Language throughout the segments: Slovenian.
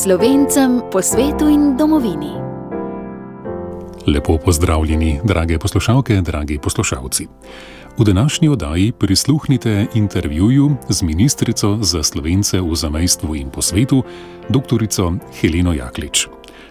Slovencem po svetu in domovini. Lepo pozdravljeni, drage poslušalke, dragi poslušalci. V današnji oddaji prisluhnite intervjuju z ministrico za Slovence v zamejstvu in po svetu, doktorico Heleno Jaklič.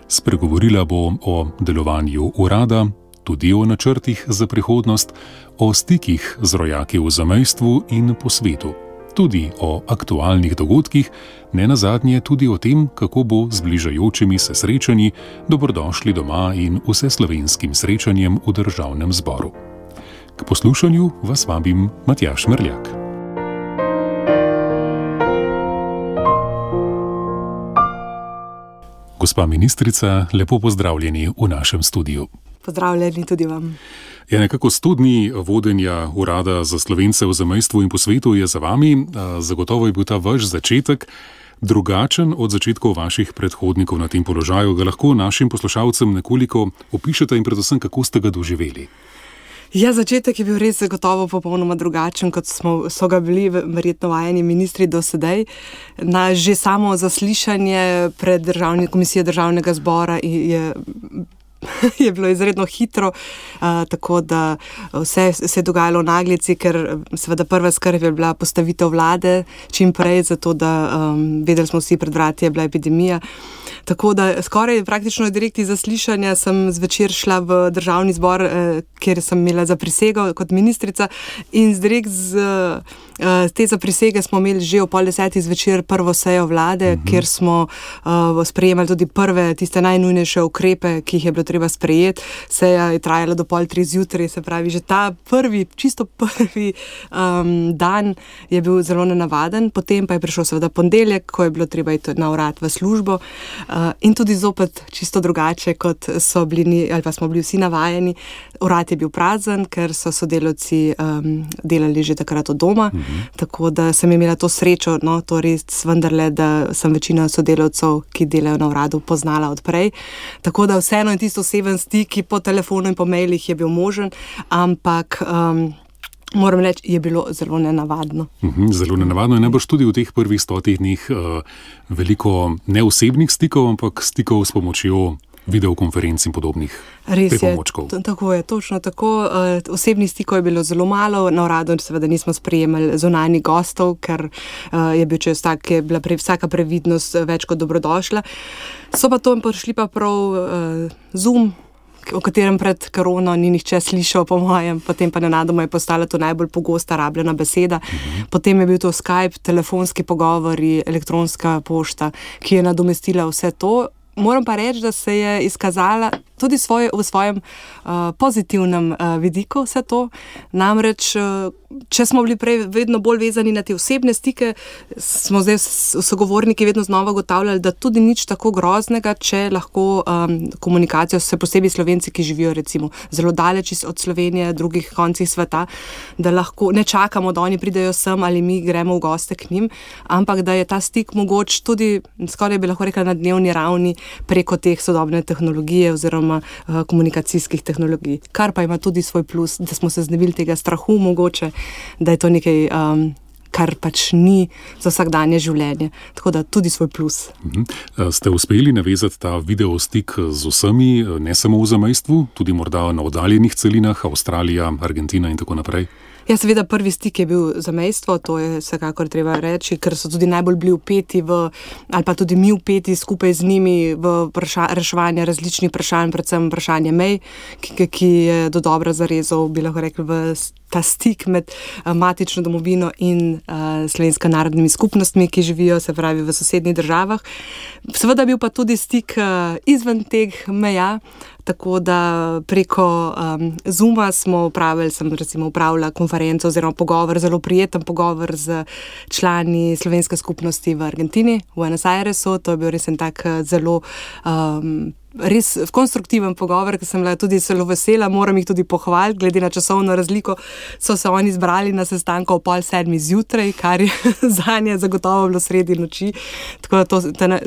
Spregovorila bo o delovanju urada, tudi o načrtih za prihodnost, o stikih z rojaki v zamejstvu in po svetu, tudi o aktualnih dogodkih, nenazadnje tudi o tem, kako bo z bližajočimi se srečanji dobrodošli doma in vseslovenskim srečanjem v državnem zboru. K poslušanju vas vabim Matjaž Merljak. Gospa ministrica, lepo pozdravljeni v našem studiu. Pozdravljeni tudi vam. Nekako 100 dni vodenja urada za Slovence v zamejstvu in po svetu je za vami. Zagotovo je bil ta vaš začetek drugačen od začetkov vaših predhodnikov na tem položaju. Ga lahko našim poslušalcem nekoliko opišete in predvsem, kako ste ga doživeli? Ja, začetek je bil res zagotovo popolnoma drugačen, kot so ga bili verjetno vajeni ministri do sedaj. Na že samo zaslišanje pred komisijo državnega zbora je bilo izredno hitro, tako da vse se je dogajalo v naglici, ker seveda prva skrb je bila postavitev vlade čim prej, zato da vedeli smo vsi, pred vrati je bila epidemija. Tako da skoraj praktično direkt iz zaslišanja sem zvečer šla v državni zbor, kjer sem imela zaprisego kot ministrica, in direkt z te zaprisege smo imeli že o 9:30 zvečer prvo sejo vlade, kjer smo sprejemali tudi prve, tiste najnujnejše ukrepe, ki jih je bilo treba sprejeti. Seja je trajala do 2:30 zjutraj, se pravi, že ta čisto prvi dan je bil zelo nenavaden, potem pa je prišel seveda ponedeljek, ko je bilo treba iti na urad v službo, in tudi zopet čisto drugače, kot so bili ali pa smo bili vsi navajeni. Urad je bil prazen, ker so sodelavci delali že takrat od doma, tako da sem imela to srečo, to res vendarle, da sem večino sodelavcev, ki delajo na uradu, poznala odprej. Tako da vseeno je tisto oseben stik po telefonu in po mailih je bil možen, ampak moram reči, je bilo zelo nenavadno. Zelo nenavadno je najbrž tudi v teh prvih 100 dneh veliko neosebnih stikov, ampak stikov s pomočjo videokonferenc in podobnih pripomočkov. Res je, tako je, točno tako. Osebnih stikov je bilo zelo malo, na uradu seveda nismo sprejemali zunanjih gostov, ker je bil čas tak, je bila vsaka previdnost več kot dobrodošla. So pa to prišli pa prav Zoom, o katerem pred korono ni nihče slišal, po mojem, potem pa nenadoma je postala to najbolj pogosta rabljena beseda. Potem je bil to Skype, telefonski pogovori, elektronska pošta, ki je nadomestila vse to. Moram pa reči, da se je izkazala tudi v svojem pozitivnem vidiku vse to. Namreč, če smo bili prej vedno bolj vezani na te osebne stike, smo zdaj sogovorniki vedno znova ugotavljali, da tudi nič tako groznega, če lahko komunikacijo, se posebej Slovenci, ki živijo recimo zelo daleč od Slovenije, drugih koncih sveta, da lahko ne čakamo, da oni pridejo sem ali mi gremo v goste k njim, ampak da je ta stik mogoč tudi, skoraj bi lahko rekla, na dnevni ravni preko teh sodobne tehnologije oziroma komunikacijskih tehnologij. Kar pa ima tudi svoj plus, da smo se znebili tega strahu mogoče, da je to nekaj, kar pač ni za vsakdanje življenje. Tako da tudi svoj plus. Ste uspeli navezati ta video stik z vsemi, ne samo v zamejstvu, tudi morda na oddaljenih celinah, Avstralija, Argentina in tako naprej? Ja, seveda prvi stik je bil zamejstvo, to je vsekakor treba reči, ker so tudi najbolj bili vpeti ali pa tudi mi vpeti skupaj z njimi v reševanje različnih vprašanj, predvsem vprašanje mej, ki je dodobra zarezal, bi lahko rekli, v ta stik med matično domovino in slovensko narodnimi skupnostmi, ki živijo, se pravi, v sosednjih državah. Seveda bil pa tudi stik izven teh meja, tako da preko Zooma sem recimo upravila konferenco oziroma pogovor, zelo prijeten pogovor z člani slovenske skupnosti v Argentini, v Buenos Airesu. To je bil res en tak zelo res konstruktiven pogovor, ker sem bila tudi zelo vesela, moram jih tudi pohvaliti, glede na časovno razliko so se oni zbrali na sestanku ob 6:30 zjutraj, kar je zanje zagotovo bilo sredi noči. Tako da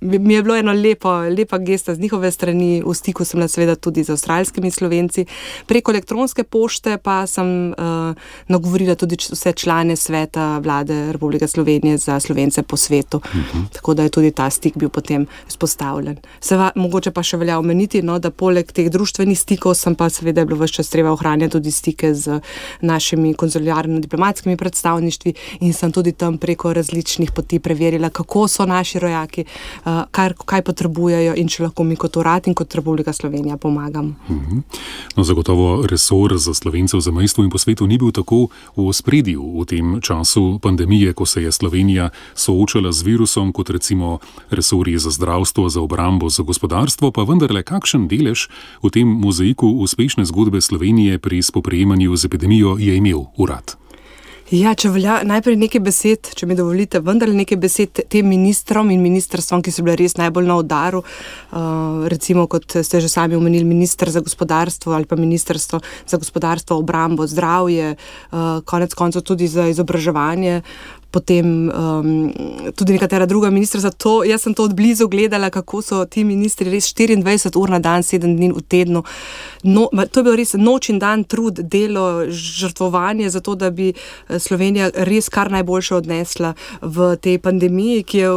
mi je bilo eno lepa gesta z njihove strani. V stiku sem bila seveda tudi z avstralskimi Slovenci. Preko elektronske pošte pa sem nagovorila tudi vse člane sveta vlade Republike Slovenije za Slovence po svetu. Tako da je tudi ta stik bil potem vzpostavljen. Mogoče pa še velja omeniti, da poleg teh društvenih stikov sem pa seveda bilo ves čas treba ohranjati tudi stike z našimi konzularno-diplomatskimi predstavništvi in sem tudi tam preko različnih poti preverila, kako so naši rojaki, kaj potrebujejo in če lahko mi kot urad in kot Republika Slovenija pomagamo. No, zagotovo resor za Slovence v zamejstvu in po svetu ni bil tako v ospredju v tem času pandemije, ko se je Slovenija soočala z virusom, kot recimo resorji za zdravstvo, za obrambo, za gospodarstvo, pa vendarle kakšen delež v tem mozaiku uspešne zgodbe Slovenije pri spoprijemanju z epidemijo je imel urad? Ja, če velja najprej nekaj besed, če mi dovolite, vendar nekaj besed tem ministrom in ministrstvom, ki so bile res najbolj na udaru, recimo kot ste že sami omenili, minister za gospodarstvo ali pa ministrstvo za gospodarstvo, obrambo, zdravje, konec koncev tudi za izobraževanje, potem tudi nekatera druga ministrstva. Jaz sem to od blizu gledala, kako so ti ministri res 24 ur na dan, 7 dni v tednu. To je bil res noč in dan trud, delo, žrtvovanje za to, da bi Slovenija res kar najboljše odnesla v tej pandemiji, ki je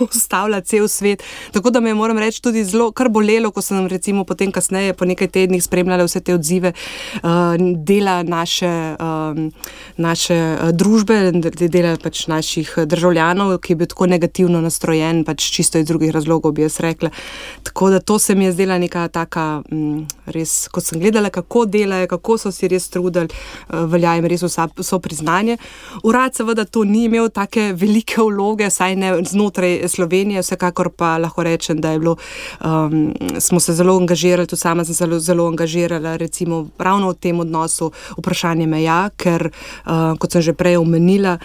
ustavila cel svet. Tako da me, moram reči, tudi zelo kar bolelo, ko sem recimo potem kasneje po nekaj tednih spremljala vse te odzive dela naše družbe, dela pač naših državljanov, ki je bil tako negativno nastrojen, pač čisto iz drugih razlogov, bi jaz rekla. Tako da to se mi je zdela neka taka res, ko sem gledala, kako delajo, kako so si res trudili, velja jim res vso priznanje. Urad seveda to ni imel take velike vloge, saj ne znotraj Slovenije, vsekakor pa lahko rečem, da je bilo, smo se zelo angažirali, tudi sama sem se zelo angažirala, recimo ravno v tem odnosu vprašanje meja, ker, kot sem že prej omenila,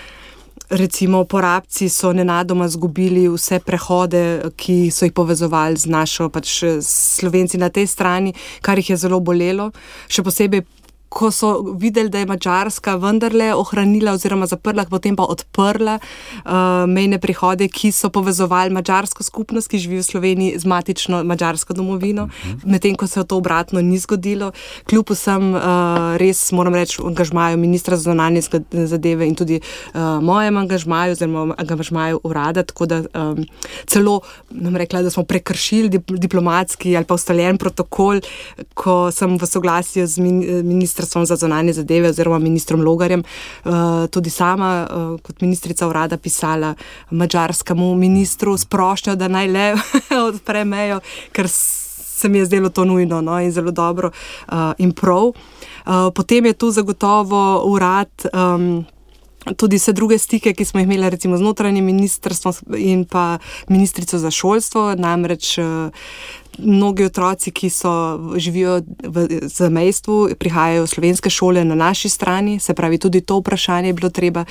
recimo porabci so nenadoma zgubili vse prehode, ki so jih povezovali z našo, pač Slovenci na tej strani, kar jih je zelo bolelo. Še posebej, ko so videli, da je Madžarska vendarle ohranila oziroma zaprla, potem pa odprla mejne prehode, ki so povezovali madžarsko skupnost, ki živi v Sloveniji, z matično madžarsko domovino, medtem ko se to obratno ni zgodilo. Kljub vsem res, moram reči, angažmaju ministra za zunanje zadeve in tudi mojem angažmaju, oziroma angažmaju urada, tako da celo nam rekla, da smo prekršili diplomatski ali pa ustaljen protokol, ko sem v soglasju z ministrstvom za zunanje zadeve oziroma ministrom Logarjem tudi sama kot ministrica urada pisala madžarskemu ministru s prošnjo, da naj le odpre mejo, ker se mi je zdelo to nujno in zelo dobro in prav. Potem je tu zagotovo urad tudi vse druge stike, ki smo jih imeli recimo z notranjim ministrstvom in pa ministrico za šolstvo, namreč mnogi otroci, ki živijo v zamejstvu, prihajajo v slovenske šole na naši strani, se pravi, tudi to vprašanje je bilo treba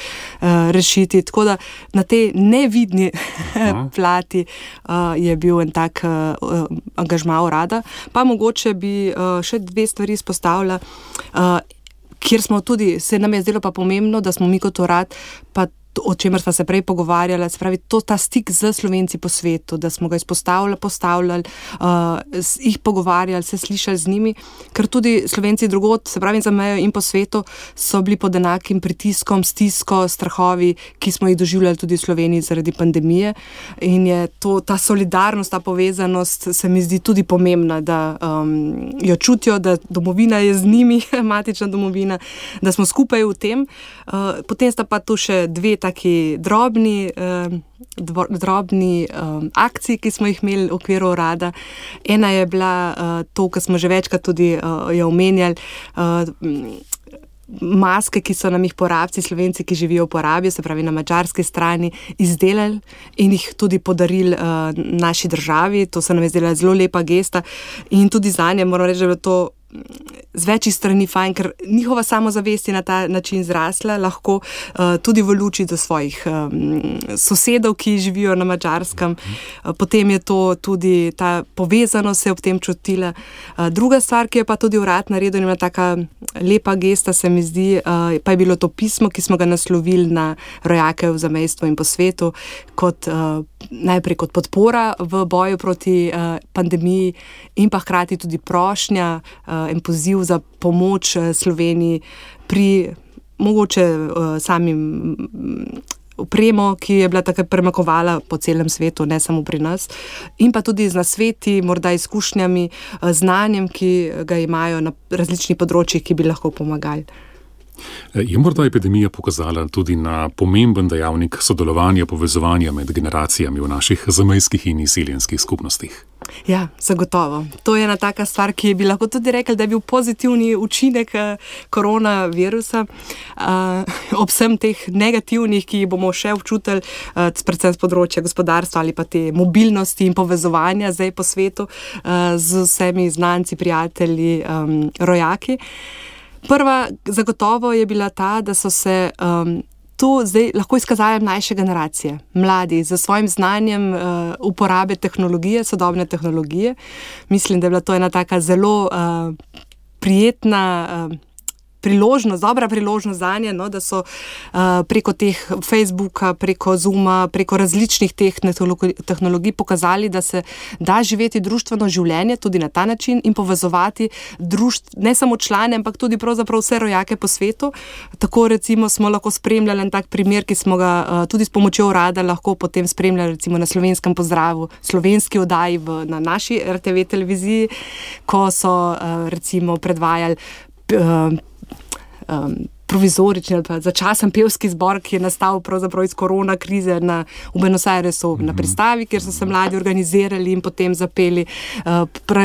rešiti. Tako da na tej nevidni plati je bil en tak angažma urada. Pa mogoče bi še dve stvari izpostavila, kjer smo tudi, se nam je zdelo pa pomembno, da smo mi kot urad, pa o čemer sva se prej pogovarjala, se pravi, ta stik z Slovenci po svetu, da smo ga postavljali, jih pogovarjali, se slišali z njimi, ker tudi Slovenci drugod, se pravi za mejo in po svetu, so bili pod enakim pritiskom, stisko, strahovi, ki smo jih doživljali tudi v Sloveniji zaradi pandemije, in je ta solidarnost, ta povezanost se mi zdi tudi pomembna, da jo čutijo, da domovina je z njimi, matična domovina, da smo skupaj v tem. Potem sta pa tu še dve taki drobni akciji, ki smo jih imeli v okviru urada. Ena je bila to, kar smo že večkrat tudi jo omenjali, maske, ki so nam jih porabci, Slovenci, ki živijo v porabi, se pravi na madžarski strani, izdelali in jih tudi podarili naši državi. To se nam je zdela zelo lepa gesta in tudi zanje moram reči, da je bilo to z večjih strani fajn, ker njihova samozavest je na ta način zrasla, lahko tudi v luči do svojih sosedov, ki živijo na Madžarskem. Potem je to tudi ta povezanost se ob tem čutila. Druga stvar, ki je pa tudi urad naredil, ima taka lepa gesta, se mi zdi, pa je bilo to pismo, ki smo ga naslovili na rojake v zamejstvu in po svetu, najprej kot podpora v boju proti pandemiji in pa hkrati tudi prošnja in poziv za pomoč Sloveniji pri mogoče samim opremo, ki je bila takrat premakovala po celem svetu, ne samo pri nas, in pa tudi z nasveti, morda izkušnjami, znanjem, ki ga imajo na različnih področjih, ki bi lahko pomagali. Je morda epidemija pokazala tudi na pomemben dejavnik sodelovanja, povezovanja med generacijami v naših zamejskih in izseljenskih skupnostih? Ja, zagotovo. To je ena taka stvar, ki bi lahko tudi rekli, da je bil pozitivni učinek koronavirusa. Ob vsem teh negativnih, ki jih bomo še občutili, predvsem z področja gospodarstva ali pa te mobilnosti in povezovanja zdaj po svetu z vsemi znanci, prijatelji, rojaki. Prva zagotovo je bila ta, da so se tu zdaj lahko izkazali mlajše generacije, mladi, z svojim znanjem uporabe tehnologije, sodobne tehnologije. Mislim, da je bila to ena taka zelo prijetna priložnost, dobra priložnost zanje, no, da so preko teh Facebooka, preko Zooma, preko različnih teh tehnologij pokazali, da se da živeti društveno življenje tudi na ta način in povezovati ne samo člane, ampak tudi pravzaprav vse rojake po svetu. Tako recimo smo lahko spremljali en tak primer, ki smo ga tudi s pomočjo urada lahko potem spremljali recimo na Slovenskem pozdravu, slovenski oddaji na naši RTV televiziji, ko so recimo predvajali provizorični ali pa začasen pevski zbor, ki je nastal pravzaprav iz korona krize v Buenos Airesu na pristavi, kjer so se mladi organizirali in potem zapeli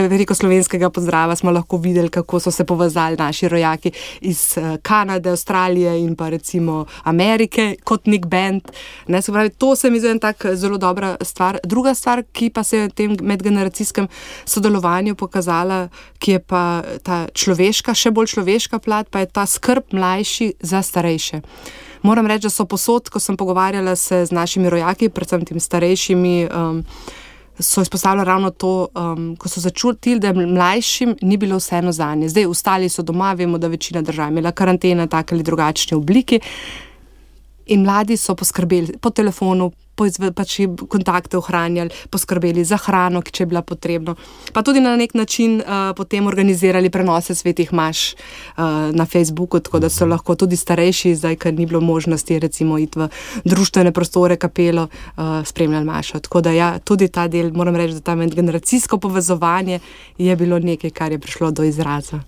veliko slovenskega pozdrava. Smo lahko videli, kako so se povezali naši rojaki iz Kanade, Avstralije in pa recimo Amerike kot nek band. Se pravi, to se mi zdi tak zelo dobra stvar. Druga stvar, ki pa se je v tem medgeneracijskem sodelovanju pokazala, ki je pa ta človeška, še bolj človeška plat, pa je ta skrb mlajši za starejše. Moram reči, da so posod, ko sem pogovarjala se z našimi rojaki, predvsem tem starejšimi, so izpostavljali ravno to, ko so začutili, da mlajšim ni bilo vseeno zanje. Zdaj, ostali so doma, vemo, da večina držav imela karantene v taki ali drugačni obliki in mladi so poskrbeli po telefonu, pač kontakte ohranjali, poskrbeli za hrano, če je bila potrebno. Pa tudi na nek način potem organizirali prenose svetih maš na Facebooku, tako da so lahko tudi starejši, zdaj, ker ni bilo možnosti recimo iti v društvene prostore, kapelo, spremljali mašo. Tako da ja, tudi ta del, moram reči, da ta medgeneracijsko povezovanje je bilo nekaj, kar je prišlo do izraza.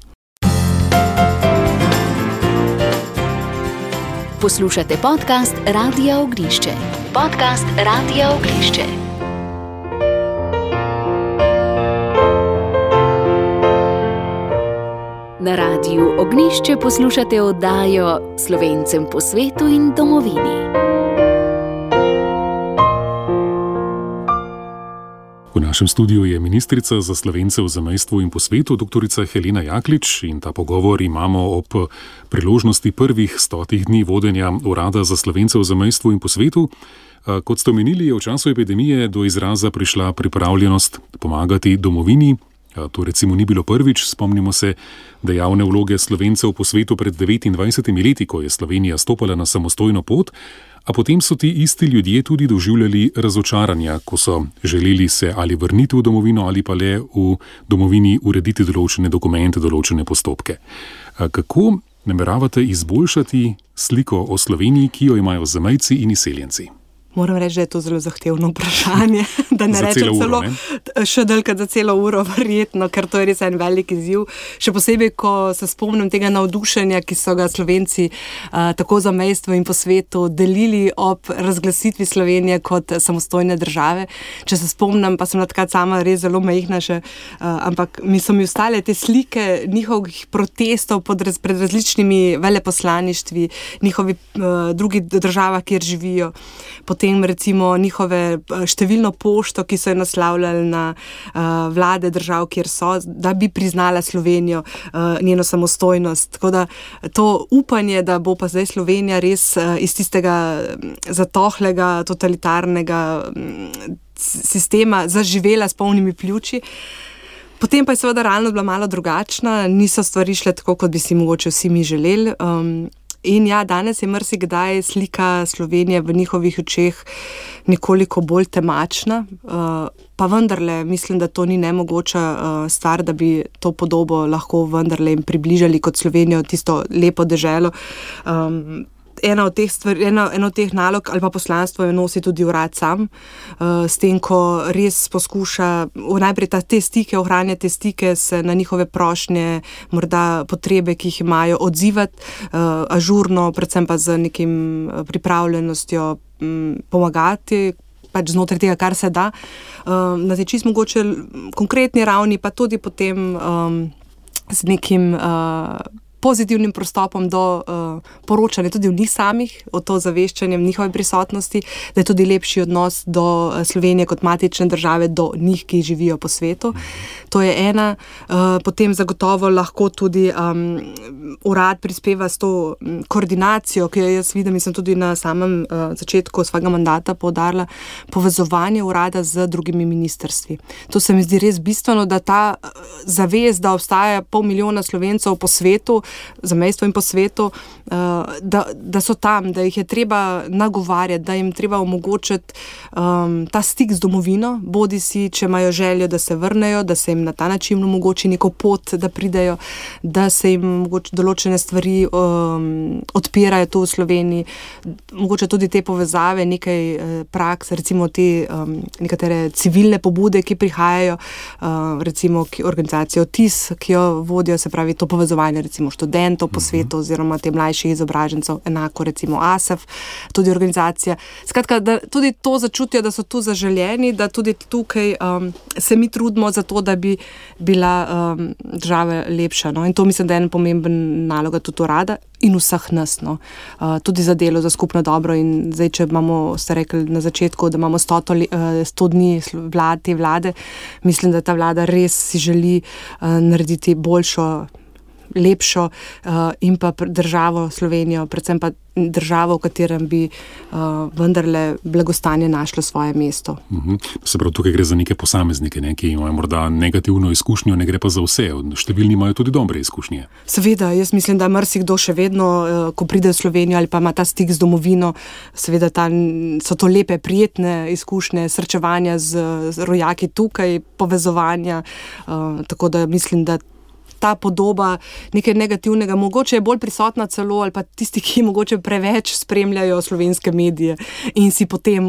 Poslušate podcast Radia Ognjišče. Podcast Radia Ognjišče. Na Radiu Ognjišče poslušate oddajo Slovencem po svetu in domovini. V našem studiu je ministrica za Slovence v zamejstvu in po svetu, doktorica Helena Jaklič, in ta pogovor imamo ob priložnosti prvih 100 dni vodenja Urada za Slovence v zamejstvu in po svetu. Kot ste omenili, je v času epidemije do izraza prišla pripravljenost pomagati domovini. To recimo ni bilo prvič, spomnimo se dejavne vloge Slovencev po svetu pred 29 leti, ko je Slovenija stopala na samostojno pot, a potem so ti isti ljudje tudi doživljali razočaranja, ko so želeli se ali vrniti v domovino ali pa le v domovini urediti določene dokumente, določene postopke. Kako nameravate izboljšati sliko o Sloveniji, ki jo imajo zamejci in izseljenci? Moram reči, da je to zelo zahtevno vprašanje, da ne rečem celo še dalj za celo uro, verjetno, ker to je res en velik izziv. Še posebej, ko se spomnim tega navdušenja, ki so ga Slovenci tako za zamejstvo in po svetu delili ob razglasitvi Slovenije kot samostojne države. Če se spomnim, pa sem takrat sama res zelo majhna še, ampak so mi ostale te slike njihovih protestov pred različnimi veleposlaništvi, njihovi drugih državah, kjer živijo. Potem potem recimo njihove številno pošto, ki so jo naslavljali na vlade držav, kjer so, da bi priznala Slovenijo, njeno samostojnost. Tako da to upanje, da bo pa zdaj Slovenija res iz tistega zatohlega, totalitarnega sistema zaživela s polnimi pljuči. Potem pa je seveda realnost bila malo drugačna, niso stvari šle tako, kot bi si mogoče vsi mi želeli. In ja, danes je marsikdaj slika Slovenije v njihovih očeh nekoliko bolj temačna, pa vendarle mislim, da to ni nemogoča stvar, da bi to podobo lahko vendarle jim približali kot Slovenijo, tisto lepo deželo. Ena od teh nalog ali pa poslanstvo jo nosi tudi urad sam, s tem, ko res poskuša najprej te stike, ohranjati te stike, se na njihove prošnje, morda potrebe, ki jih imajo, odzivati ažurno, predvsem pa z nekim pripravljenostjo pomagati, pač znotraj tega, kar se da. Na tej čisto mogoče konkretni ravni, pa tudi potem z nekim pozitivnim pristopom do poročanja tudi v njih samih, o to zaveščanjem njihove prisotnosti, da je tudi lepši odnos do Slovenije kot matične države, do njih, ki živijo po svetu. To je ena. Potem zagotovo lahko tudi urad prispeva s to koordinacijo, ki jo jaz vidim in sem tudi na samem začetku svojega mandata poudarila, povezovanje urada z drugimi ministrstvi. To se mi zdi res bistveno, da ta zavest, da obstaja 500 000 Slovencev po svetu, zamejstvu in po svetu, da so tam, da jih je treba nagovarjati, da jim treba omogočiti ta stik z domovino, bodi si, če imajo željo, da se vrnejo, da se jim na ta način omogoči neko pot, da pridejo, da se jim mogoče določene stvari odpirajo tu v Sloveniji, mogoče tudi te povezave, nekaj praks, recimo te nekatere civilne pobude, ki prihajajo, recimo organizacijo TIS, ki jo vodijo, se pravi to povezovanje recimo študentov po svetu oziroma te mlajših izobražencev, enako recimo ASEF, tudi organizacija. Skratka, da tudi to začutijo, da so tu zaželeni, da tudi tukaj se mi trudimo za to, da bi bila država lepša. No? In to mislim, da je en pomemben naloga tudi urada in vseh nas. No? Tudi za delo, za skupno dobro. In zdaj, če imamo, ste rekli na začetku, da imamo 100 dni te vlade, mislim, da ta vlada res si želi narediti boljšo, lepšo in pa državo Slovenijo, predvsem pa državo, v katerem bi vendarle blagostanje našlo svoje mesto. Se pravi, tukaj gre za neke posameznike, ki imajo morda negativno izkušnjo, ne gre pa za vse. Številni imajo tudi dobre izkušnje. Seveda, jaz mislim, da marsikdo še vedno, ko pride v Slovenijo ali pa ima ta stik z domovino, seveda so to lepe, prijetne izkušnje, srečevanja z rojaki tukaj, povezovanja, tako da mislim, da ta podoba nekaj negativnega, mogoče je bolj prisotna celo, ali pa tisti, ki mogoče preveč spremljajo slovenske medije in si potem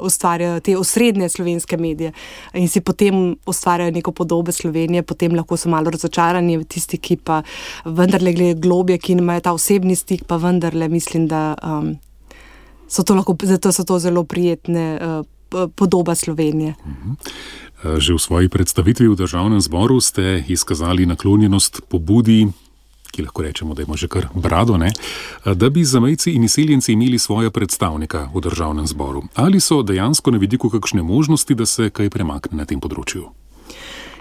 ustvarjajo te osrednje slovenske medije in si potem ustvarjajo neko podobo Slovenije, potem lahko so malo razočarani, tisti, ki pa vendarle gledajo globje, ki imajo ta osebni stik, pa vendarle mislim, da zato so to zelo prijetne podoba Slovenije. Že v svoji predstavitvi v Državnem zboru ste izkazali naklonjenost pobudi, ki lahko rečemo, da ima že kar brado, da bi zamejci in izseljenci imeli svoja predstavnika v Državnem zboru. Ali so dejansko na vidiku kakšne možnosti, da se kaj premakne na tem področju?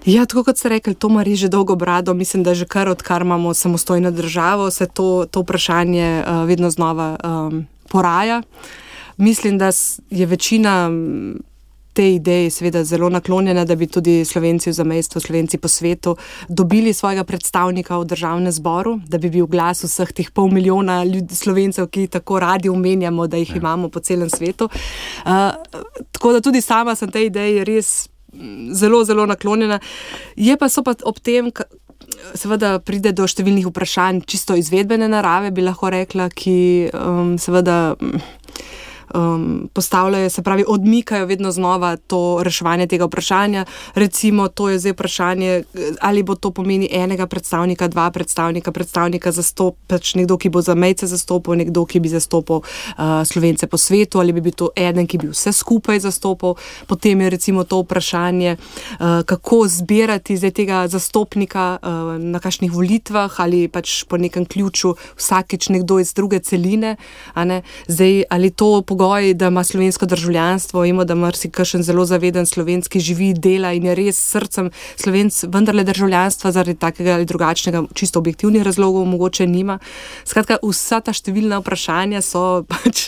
Ja, tako kot ste rekli, to ima res že dolgo brado. Mislim, da že odkar imamo samostojno državo, se to vprašanje vedno znova poraja. Mislim, da je večina te ideje seveda zelo naklonjena, da bi tudi Slovenci v zamejstvu, Slovenci po svetu dobili svojega predstavnika v Državnem zboru, da bi bil glas vseh teh 500 000 Slovencev, ki tako radi omenjamo, da jih imamo po celem svetu. Tako da tudi sama sem tej ideji res zelo, zelo naklonjena. So pa ob tem, seveda pride do številnih vprašanj, čisto izvedbene narave, bi lahko rekla, ki seveda postavljajo, se pravi, odmikajo vedno znova to reševanje tega vprašanja. Recimo, to je zdaj vprašanje, ali bo to pomeni enega predstavnika, dva predstavnika pač nekdo, ki bo zamejce zastopal, nekdo, ki bi zastopal Slovence po svetu, ali bi bil to eden, ki bi vse skupaj zastopal. Potem je recimo to vprašanje, kako zbirati zdaj tega zastopnika na kakšnih volitvah ali pač po nekem ključu vsakič nekdo iz druge celine. Zdaj, ali to pogoj, da ima slovensko državljanstvo, vemo, da marsikakšen zelo zaveden slovenski živi, dela in je res srcem Slovenc vendarle državljanstva zaradi takega ali drugačnega, čisto objektivnih razlogov mogoče nima. Skratka, vsa ta številna vprašanja so pač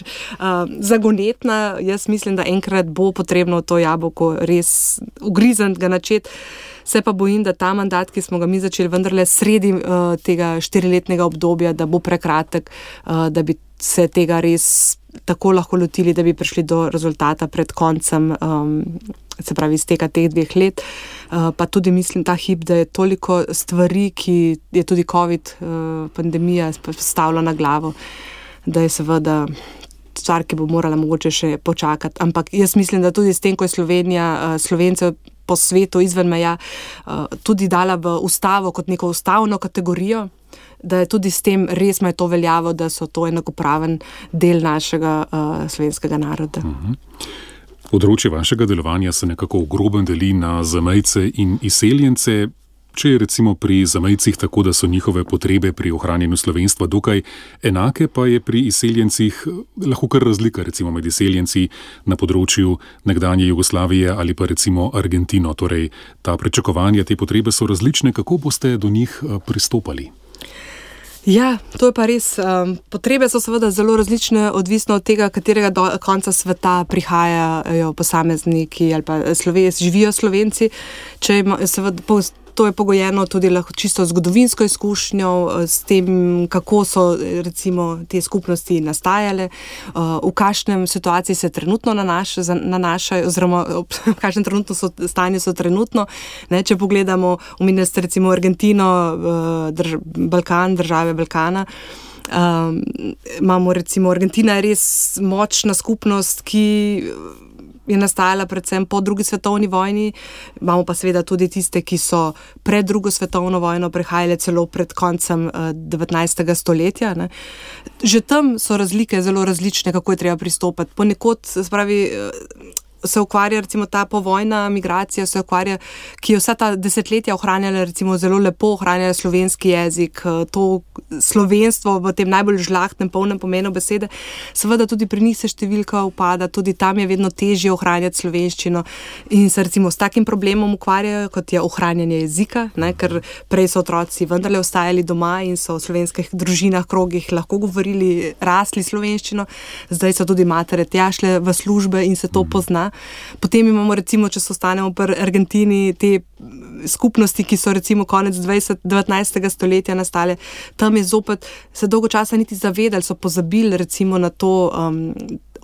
zagonetna. Jaz mislim, da enkrat bo potrebno to jabolko res ugrizniti, ga načeti. Se pa bojim, da ta mandat, ki smo ga mi začeli vendarle sredi tega 4-letnega obdobja, da bo prekratek, da bi se tega res tako lahko lotili, da bi prišli do rezultata pred koncem, se pravi izteka teh 2 let. Pa tudi mislim ta hip, da je toliko stvari, ki je tudi COVID pandemija postavila na glavo, da je seveda stvar, ki bo morala mogoče še počakati. Ampak jaz mislim, da tudi s tem, ko je Slovenija Slovencev po svetu izven meja tudi dala v ustavo kot neko ustavno kategorijo, da je tudi s tem res ima to veljavo, da so to enakopraven del našega slovenskega naroda. Področje vašega delovanja se nekako v grobem deli na zamejce in izseljence. Če je recimo pri zamejcih tako, da so njihove potrebe pri ohranjanju slovenstva dokaj enake, pa je pri izseljencih lahko kar razlika, recimo med izseljenci na področju nekdanje Jugoslavije ali pa recimo Argentino. Torej, ta pričakovanja, te potrebe so različne. Kako boste do njih pristopali? Ja, to je pa res. Potrebe so seveda zelo različne, odvisno od tega, katerega konca sveta prihajajo posamezniki ali pa živijo Slovenci. Seveda to je pogojeno tudi lahko čisto zgodovinsko izkušnjo, s tem, kako so recimo te skupnosti nastajale, v kakšnem situaciji se trenutno nanašajo, oziroma v kakšnem stanju so trenutno. Če pogledamo, omenili ste recimo Argentino, Balkan, države Balkana, imamo recimo Argentina je res močna skupnost, ki je nastajala predvsem po drugi svetovni vojni. Imamo pa seveda tudi tiste, ki so pred drugo svetovno vojno prihajale celo pred koncem 19. stoletja. Ne. Že tam so razlike zelo različne, kako je treba pristopati. Ponekod, se ukvarja recimo ta povojna migracija, ki je vsa ta desetletja ohranjala recimo zelo lepo, ohranjala slovenski jezik, to slovenstvo v tem najbolj žlahtnem, polnem pomenu besede. Seveda tudi pri njih se številka upada, tudi tam je vedno težje ohranjati slovenščino in se recimo s takim problemom ukvarjajo, kot je ohranjanje jezika, ne, ker prej so otroci vendarle ostajali doma in so v slovenskih družinah, krogih lahko govorili, rasli slovenščino, zdaj so tudi matere tja šle v službe in se to pozna. Potem imamo recimo, če se ostanemo pri Argentini, te skupnosti, ki so recimo konec 19. stoletja nastale. Tam je zopet se dolgo časa niti zavedali, so pozabili recimo na to,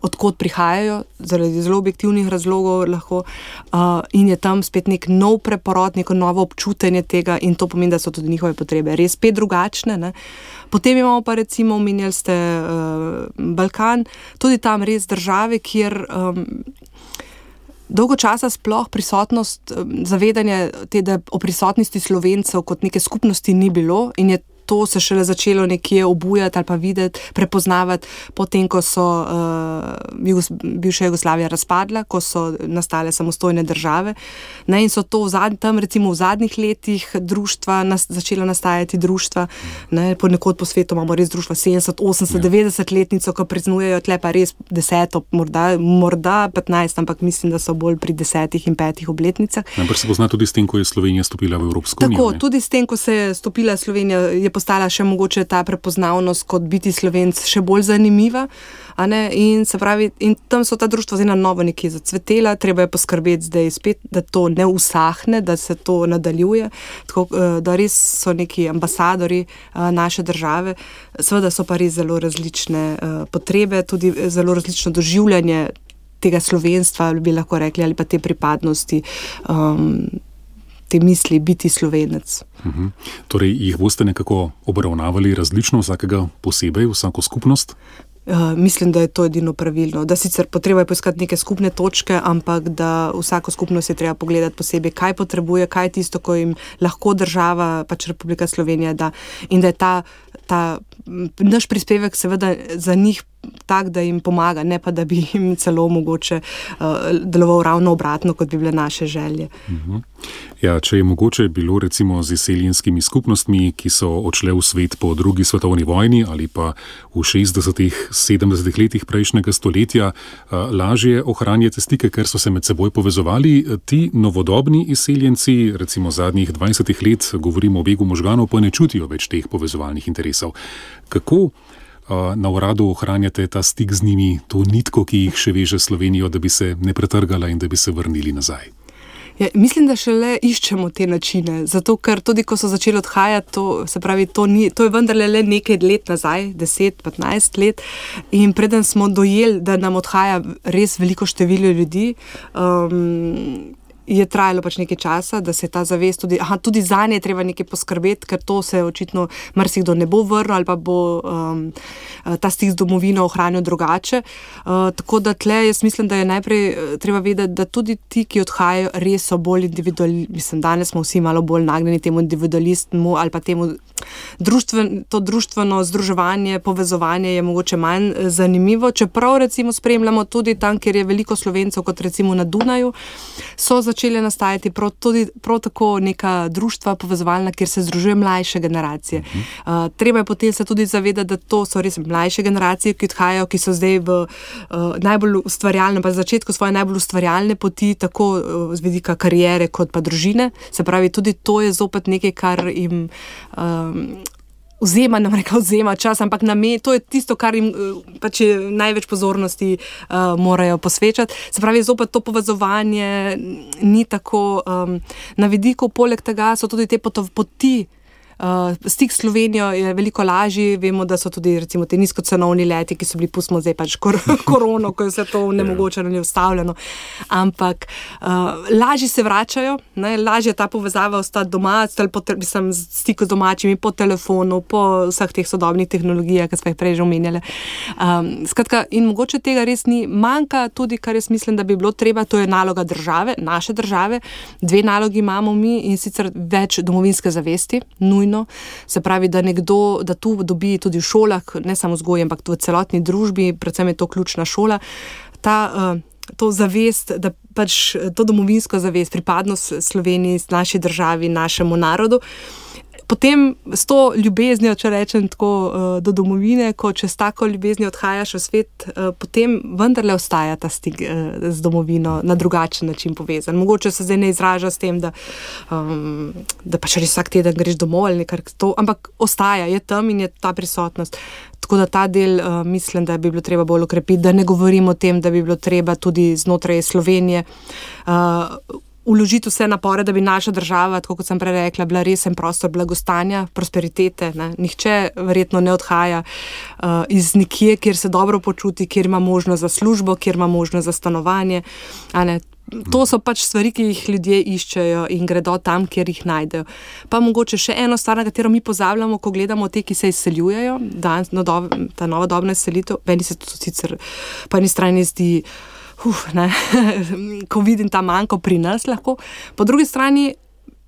odkot prihajajo, zaradi zelo objektivnih razlogov lahko, in je tam spet nek nov preporod, neko novo občutenje tega in to pomeni, da so tudi njihove potrebe res spet drugačne. Ne. Potem imamo pa recimo, omenjali ste Balkan, tudi tam res države, kjer dolgo časa sploh prisotnost, zavedanje da o prisotnosti Slovencev kot neke skupnosti ni bilo in je to se šele začelo nekje obujati ali pa videti, prepoznavati potem, ko so bivša Jugoslavija razpadla, ko so nastale samostojne države. Ne, in so to tam recimo v zadnjih letih društva, začela nastajati društva, ne, ponekod po svetu imamo res društva 70, 80, 90 letnico, ko praznujejo, tle pa res 10, morda 15, ampak mislim, da so bolj pri 10 in 5 obletnicah. Ampak se pozna tudi s tem, ko je Slovenija stopila v Evropsko unijo. Tako, tudi s tem, ko se je stopila Slovenija, je postala še mogoče ta prepoznavnost kot biti Slovenc še bolj zanimiva, a ne? In se pravi, in tam so ta društva zdaj na novo nekje zacvetela, treba je poskrbeti zdaj spet, da to ne usahne, da se to nadaljuje, tako, da res so neki ambasadori naše države, seveda so pa res zelo različne potrebe, tudi zelo različno doživljanje tega slovenstva, bi lahko rekli, ali pa te pripadnosti, te misli biti Slovenec. Torej, jih boste nekako obravnavali različno, vsakega posebej, vsako skupnost? Mislim, da je to edino pravilno. Da sicer potreba je poiskati neke skupne točke, ampak da vsako skupnost je treba pogledati posebej, kaj potrebuje, kaj je tisto, ko jim lahko država, pač Republika Slovenija da. In da je ta naš prispevek seveda za njih tak, da jim pomaga, ne pa da bi jim celo mogoče deloval ravno obratno, kot bi bile naše želje. Ja, če je mogoče bilo recimo z izseljenskimi skupnostmi, ki so odšle v svet po drugi svetovni vojni ali pa v 60-ih, 70-ih letih prejšnjega stoletja, lažje ohranjate stike, ker so se med seboj povezovali, ti novodobni izseljenci, recimo zadnjih 20 let, govorimo o begu možganov, pa ne čutijo več teh povezovalnih interesov. Kako na uradu ohranjate ta stik z njimi, to nitko, ki jih še veže Slovenijo, da bi se ne pretrgala in da bi se vrnili nazaj? Ja, mislim, da šele iščemo te načine, zato ker tudi, ko so začeli odhajati, to je vendarle le nekaj let nazaj, 10-15 let, in preden smo dojeli, da nam odhaja res veliko število ljudi, je trajalo pač nekaj časa, da se je ta zavest tudi zanje je treba nekaj poskrbeti, ker to se očitno marsikdo ne bo vrnil ali pa bo ta stik z domovino ohranil drugače. Tako da tle jaz mislim, da je najprej treba vedeti, da tudi ti, ki odhajajo, res so bolj mislim, danes smo vsi malo bolj nagnjeni temu individualistmu ali pa temu to društveno združevanje, povezovanje je mogoče manj zanimivo, čeprav recimo spremljamo tudi tam, kjer je veliko Slovencev, kot recimo na Dunaju, so začeli nastajati prav tako neka društva povezovalna, kjer se združuje mlajše generacije. Treba je potem se tudi zavedati, da to so res mlajše generacije, ki odhajajo, ki so zdaj v najbolj ustvarjalnem, pa začetku svoje najbolj ustvarjalne poti, tako z vidika kariere kot pa družine. Se pravi, tudi to je zopet nekaj, kar jim vzema čas, ampak to je tisto, kar jim pač največ pozornosti morajo posvečati. Se pravi, zopet to povezovanje ni tako na vidiku, poleg tega so tudi te poti. Stik s Slovenijo je veliko lažji, vemo, da so tudi recimo te nizkocenovni leti, ki so bili, pustimo zdaj pač korono, ko je vse to nemogočeno in ustavljeno, ampak lažje se vračajo, lažje ta povezava ostati doma, stiku z domačimi po telefonu, po vseh teh sodobnih tehnologijah, ki smo jih prej že omenjali. Skratka, in mogoče tega res ni, manjka tudi, kar jaz mislim, da bi bilo treba, to je naloga države, naše države, 2 nalogi imamo mi, in sicer več domovinske zavesti, nujno. Se pravi, da tu dobi tudi v šolah, ne samo vzgoje, ampak v celotni družbi, predvsem je to ključna šola, to zavest, da pač to domovinsko zavest, pripadnost Sloveniji, naši državi, našemu narodu. Potem s to ljubeznijo, če rečem tako, do domovine, ko čez tako ljubeznijo odhajaš v svet, potem vendarle ostaja ta stik z domovino na drugačen način povezan. Mogoče se zdaj ne izraža s tem, da pač res vsak teden greš domov ali nekaj to, ampak ostaja, je tam in je ta prisotnost. Tako da ta del mislim, da bi bilo treba bolj okrepiti, da ne govorim o tem, da bi bilo treba tudi znotraj Slovenije vložiti vse napore, da bi naša država, tako kot sem prej rekla, bila resen prostor blagostanja, prosperitete. Nihče verjetno ne odhaja iz nikje, kjer se dobro počuti, kjer ima možnost za službo, kjer ima možnost za stanovanje. To so pač stvari, ki jih ljudje iščejo in gredo tam, kjer jih najdejo. Pa mogoče še eno stvar, na katero mi pozabljamo, ko gledamo te, ki se izseljujejo, ta novodobna izselitev, meni se to sicer po eni strani zdi ko vidim ta manjko pri nas lahko. Po drugi strani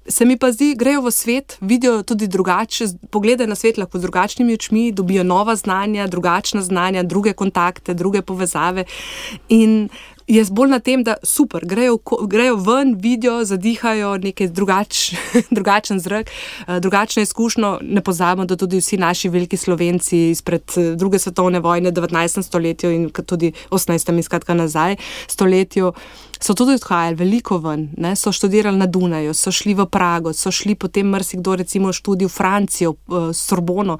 se mi pa zdi, grejo v svet, vidijo tudi drugače, pogledajo na svet lahko z drugačnimi očmi, dobijo nova znanja, drugačna znanja, druge kontakte, druge povezave in jaz bolj na tem, da super, grejo ven, vidijo, zadihajo nekaj drugačen zrak, drugačno izkušnjo. Ne pozabimo, da tudi vsi naši veliki Slovenci izpred druge svetovne vojne, 19. stoletju in tudi 18. skratka nazaj stoletju, so tudi odhajali veliko ven, so študirali na Dunaju, so šli v Prago, so šli potem marsikdo recimo študij v Francijo, Sorbono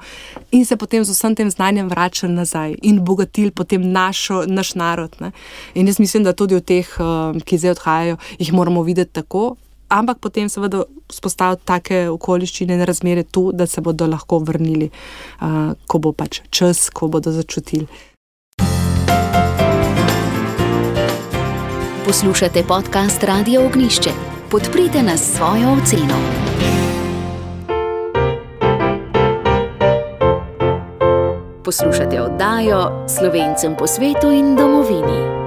in se potem z vsem tem znanjem vračali nazaj in bogatili potem naš narod. In jaz mislim, da tudi od teh, ki zdaj odhajajo, jih moramo videti tako, ampak potem seveda vzpostaviti take okoliščine in razmere tu, da se bodo lahko vrnili, ko bo pač čas, ko bodo začutili. Poslušate podcast Radia Ognjišče. Podprite nas s svojo oceno. Poslušate oddajo Slovencem po svetu in domovini.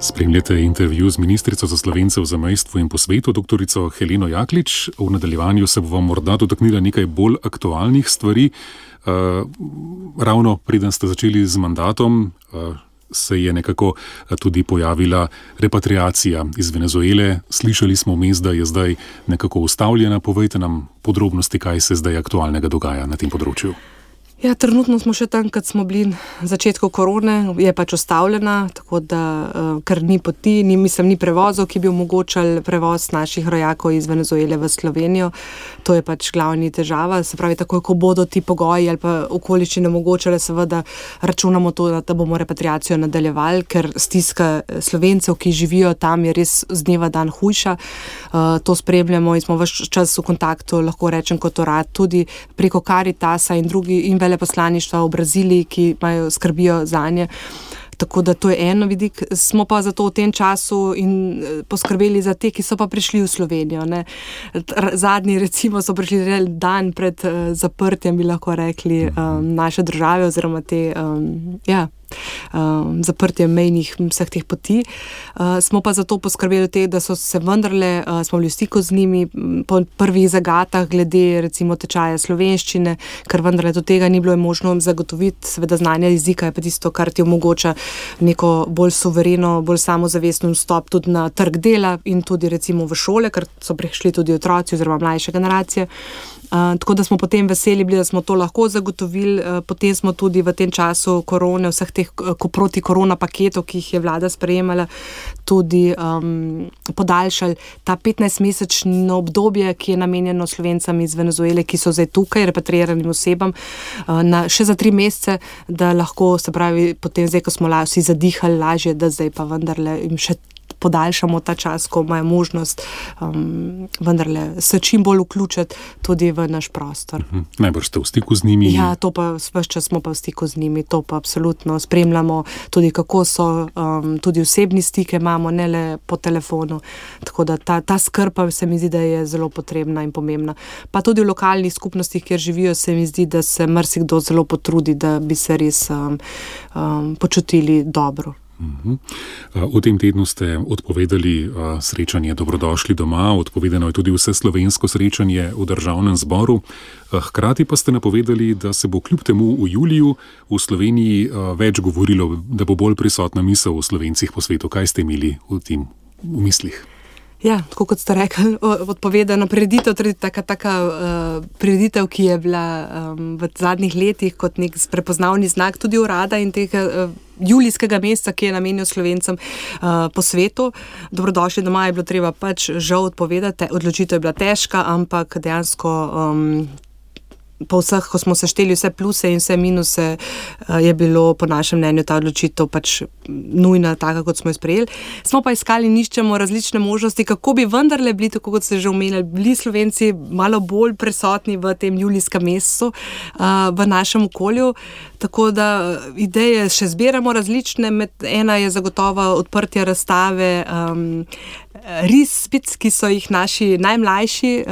Spremljate intervju z ministrico za Slovence v zamejstvu in po svetu, doktorico Heleno Jaklič. V nadaljevanju se bo vam morda dotaknila nekaj bolj aktualnih stvari. Ravno preden ste začeli z mandatom, se je nekako tudi pojavila repatriacija iz Venezuele. Slišali smo vmes, da je zdaj nekako ustavljena. Povejte nam podrobnosti, kaj se zdaj aktualnega dogaja na tem področju. Ja, trenutno smo še tam, kad smo bili na začetku korone, je pač ustavljena, tako da, ker ni poti, ni prevozov, ki bi omogočali prevoz naših rojakov iz Venezuele v Slovenijo. To je pač glavni težava. Se pravi, takoj, ko bodo ti pogoji ali pa okoliščine omogočale, seveda računamo to, da bomo repatriacijo nadaljevali, ker stiska Slovencev, ki živijo tam, je res z dneva dan hujša. To spremljamo in smo ves čas v kontaktu, lahko rečem kot urad, tudi preko Caritasa in drugi in veleposlaništva v Braziliji, ki skrbijo zanje. Tako da to je en vidik. Smo pa zato v tem času in poskrbeli za te, ki so pa prišli v Slovenijo. Ne. Zadnji recimo so prišli dan pred zaprtjem, bi lahko rekli, naše države oziroma te, zaprtje mejnih vseh teh poti. Smo pa zato poskrbeli da so se vendarle, smo bili v stiku z njimi po prvih zagatah glede recimo tečaja slovenščine, ker vendarle do tega ni bilo možno zagotoviti. Seveda znanje jezika je pa tisto, kar ti omogoča neko bolj suvereno, bolj samozavestno vstop tudi na trg dela in tudi recimo v šole, ker so prišli tudi otroci oziroma mlajše generacije. Tako da smo potem veseli bili, da smo to lahko zagotovili. Potem smo tudi v tem času korone, vseh teh proti korona paketov, ki jih je vlada sprejemala, tudi podaljšali ta 15-mesečno obdobje, ki je namenjeno Slovencem iz Venezuele, ki so zdaj tukaj, repatriiranim osebam, še za 3 mesece, da lahko, se pravi, potem zdaj, ko smo vsi zadihali lažje, da zdaj pa vendarle jim še podaljšamo ta čas, ko imajo možnost vendarle se čim bolj vključiti tudi v naš prostor. Najbrž ste v stiku z njimi? Ja, to pa ves čas smo pa v stiku z njimi, to pa absolutno spremljamo tudi, kako so, tudi osebni stike imamo, ne le po telefonu, tako da ta skrb se mi zdi, da je zelo potrebna in pomembna. Pa tudi v lokalnih skupnostih, kjer živijo, se mi zdi, da se marsikdo zelo potrudi, da bi se res počutili dobro. V tem tednu ste odpovedali srečanje Dobrodošli doma, odpovedano je tudi vse slovensko srečanje v Državnem zboru. Hkrati pa ste napovedali, da se bo kljub temu v juliju v Sloveniji več govorilo, da bo bolj prisotna misel o Slovencih po svetu. Kaj ste imeli v mislih? Ja, tako kot ste rekli, odpovedano prireditev, tudi taka prireditev, ki je bila v zadnjih letih kot nek prepoznavni znak tudi urada in tega julijskega meseca, ki je namenjen Slovencem po svetu. Dobrodošli doma je bilo treba pač žal odpovedati, odločitev je bila težka, ampak dejansko po vseh, ko smo sešteli vse pluse in vse minuse, je bilo po našem mnenju ta odločitev pač nujna, taka, kot smo jo sprejeli. Smo pa iskali in iščemo različne možnosti, kako bi vendarle bili, tako kot ste že omenili, bili Slovenci malo bolj prisotni v tem julijskem mesecu v našem okolju. Tako da ideje še zbiramo različne, ena je zagotovo odprtje razstave risbic, ki so jih naši najmlajši